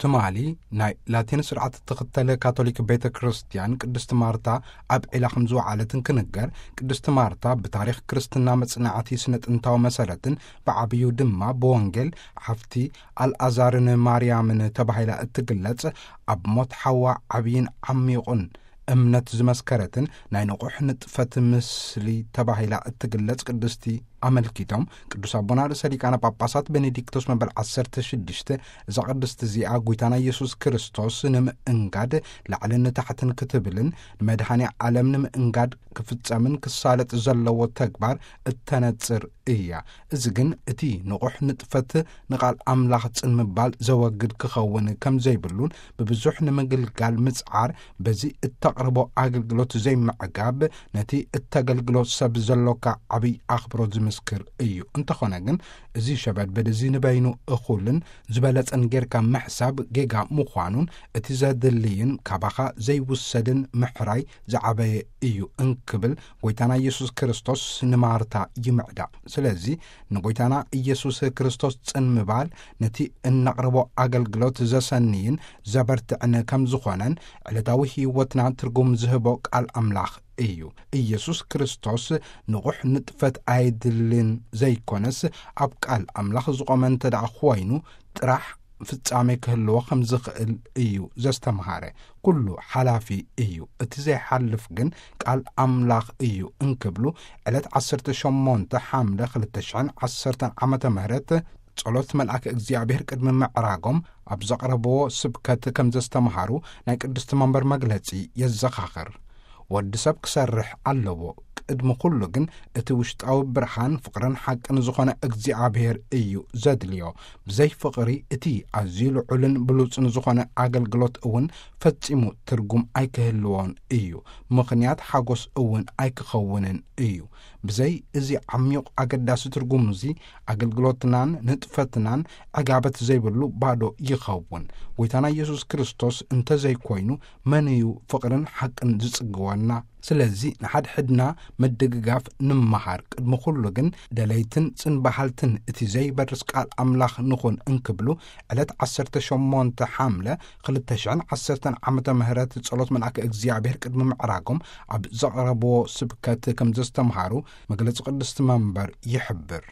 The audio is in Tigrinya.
ትማሊ ናይ ላቲን ስርዓት እትኽተል ካቶሊክ ቤተ ክርስቲያን ቅድስቲ ማርታ ኣብ ዒላ ከም ዝወዓለት እንክንገር፣ ቅድስቲ ማርታ ብታሪኽ ክርስትና መጽናዕቲ ስነ ጥንታዊ መሰረትን ብዓብዩ ድማ ብወንጌል ሓፍቲ ኣልኣዛርን ማርያምን ተባሂላ እትግለጽ፣ ኣብ ሞት ሓዋ ዓብይን ዓሚቑን እምነት ዝመስከረትን ናይ ንቑሕ ንጥፈት ምስሊ ተባሂላ እትግለጽ ቅድስቲ ኣመልኪቶም፣ ቅዱስ ኣቦና ርእሰ ሊቃነ ጳጳሳት ቤኔዲክቶስ መበል ዓሰርተ ሽዱሽተ፣ እዛ ቅድስቲ እዚኣ ጐይታና ኢየሱስ ክርስቶስ ንምእንጋድ ላዕልን ታሕትን ክትብልን ንመድኃኔ ዓለም ንምእንጋድ ክፍጸምን ክሳለጥ ዘለዎ ተግባር እተነጽር እያ። እዚ ግን እቲ ንቑሕ ንጥፈት ንቓል ኣምላኽ ጽን ምባል ዘወግድ ክኸውን ከም ዘይብሉን፣ ብብዙሕ ንምግልጋል ምጽዓር በዚ እተቕርቦ ኣገልግሎት ዘይምዕጋብ ነቲ እተገልግሎ ሰብ ዘሎካ ዓብይ ኣኽብሮት ዝምስክር እዩ። እንተኾነ ግን እዚ ሸበድበድ እዚ ንበይኑ እኹልን ዝበለጸን ጌርካ ምሕሳብ ጌጋ ምዃኑን እቲ ዘድልይን ካባኻ ዘይውሰድን ምሕራይ ዝዓበየ እዩ እንክብል ጐይታና ኢየሱስ ክርስቶስ ንማርታ ይምዕዳ። ስለዚ ንጐይታና ኢየሱስ ክርስቶስ ጽን ምባል ነቲ እነቕርቦ ኣገልግሎት ዘሰንይን ዘበርትዕን ከም ዝኾነን ዕለታዊ ህይወትና ትርጉም ዝህቦ ቃል ኣምላኽ እዩ። ኢየሱስ ክርስቶስ ንቑሕ ንጥፈት ኣየድልን ዘይኮነስ፣ ኣብ ቃል ኣምላኽ ዝቖመ እንተ ደኣ ኾይኑ ጥራሕ ፍጻሜ ክህልዎ ከም ዝኽእል እዩ ዘስተምሃረ። ኩሉ ሓላፊ እዩ፣ እቲ ዘይሓልፍ ግን ቃል ኣምላኽ እዩ እንክብሉ፣ ዕለት ዓሰርተ ሸሞንተ ሓምለ ክልተ ሽሕን ዓሰርተን ዓመተ ምህረት ጸሎት መልኣክ እግዚኣብሔር ቅድሚ ምዕራጎም ኣብ ዘቕረብዎ ስብከት ከም ዘስተምሃሩ ናይ ቅድስቲ መንበር መግለጺ የዘኻኽር። ወዲ ሰብ ክሰርሕ ኣለዎ። ቅድሚ ኩሉ ግን እቲ ውሽጣዊ ብርሃን፣ ፍቕርን ሓቅን ዝኾነ እግዚኣብሔር እዩ ዘድልዮ። ብዘይ ፍቕሪ እቲ ኣዝዩ ልዑልን ብሉጽን ዝኾነ ኣገልግሎት እውን ፈጺሙ ትርጉም ኣይክህልዎን እዩ። ምኽንያት ሓጎስ እውን ኣይክኸውንን እዩ። ብዘይ እዚ ዓሚቕ ኣገዳሲ ትርጉም እዚ ኣገልግሎትናን ንጥፈትናን ዕጋበት ዘይብሉ ባዶ ይኸውን። ጐይታና ኢየሱስ ክርስቶስ እንተ ዘይኮይኑ መን እዩ ፍቕርን ሓቅን ዝጽግወና? ስለዚ ንሓድሕድና ምድግጋፍ ንምሃር። ቅድሚ ኩሉ ግን ደለይትን ጽን በሃልትን እቲ ዘይበርስ ቃል ኣምላኽ ንኹን እንክብሉ ዕለት ዓሰርተ ሸሞንተ ሓምለ ክልተ ሽሕን ዓሰርተን ዓመተ ምህረት ጸሎት መልኣከ እግዚኣብሔር ቅድሚ ምዕራጎም ኣብ ዘቕረብዎ ስብከት ከም ዘስተምሃሩ መግለጺ ቅድስቲ መንበር ይሕብር።